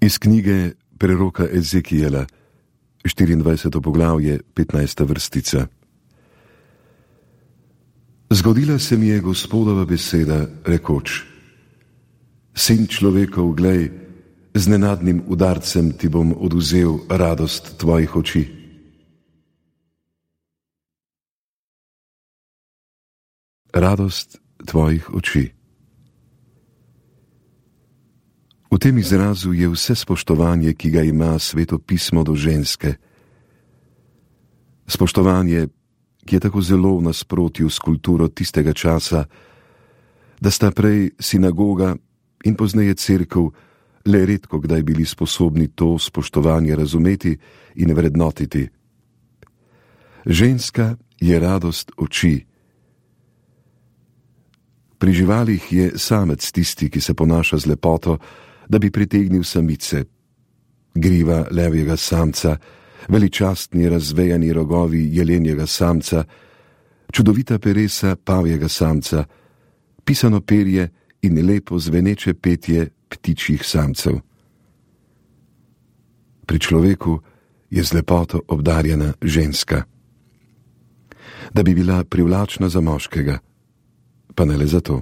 Iz knjige preroka Ezekijela, 24. poglavje, 15. vrstica. Zgodila se mi je Gospodova beseda, rekoč: Sin človekov, glej, z nenadnim udarcem ti bom oduzel radost tvojih oči. Radost tvojih oči. V tem izrazu je vse spoštovanje, ki ga ima Sveto pismo do ženske. Spoštovanje, ki je tako zelo v nasprotju s kulturo tistega časa, da sta prej sinagoga in pozneje cerkev le redko kdaj bili sposobni to spoštovanje razumeti in vrednotiti. Ženska je radost oči. Pri živalih je samec tisti, ki se ponaša z lepoto, da bi pritegnil samice. Griva levjega samca, veličastni razvejani rogovi jelenjega samca, čudovita peresa pavjega samca, pisano perje in lepo zveneče petje ptičjih samcev. Pri človeku je z lepoto obdarjena ženska. Da bi bila privlačna za moškega, pa ne le zato.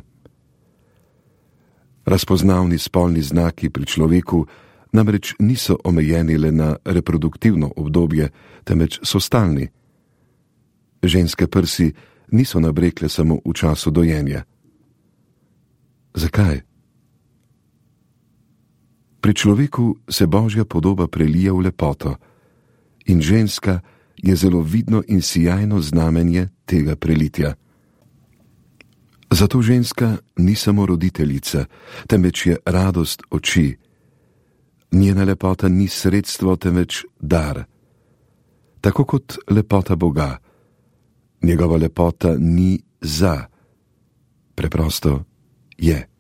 Razpoznavni spolni znaki pri človeku namreč niso omejeni le na reproduktivno obdobje, temveč so stalni. Ženske prsi niso nabrekle samo v času dojenja. Zakaj? Pri človeku se Božja podoba prelija v lepoto in ženska je zelo vidno in sijajno znamenje tega prelitja. Zato ženska ni samo roditeljica, temveč je radost oči. Njena lepota ni sredstvo, temveč dar. Tako kot lepota Boga. Njegova lepota ni za, preprosto je.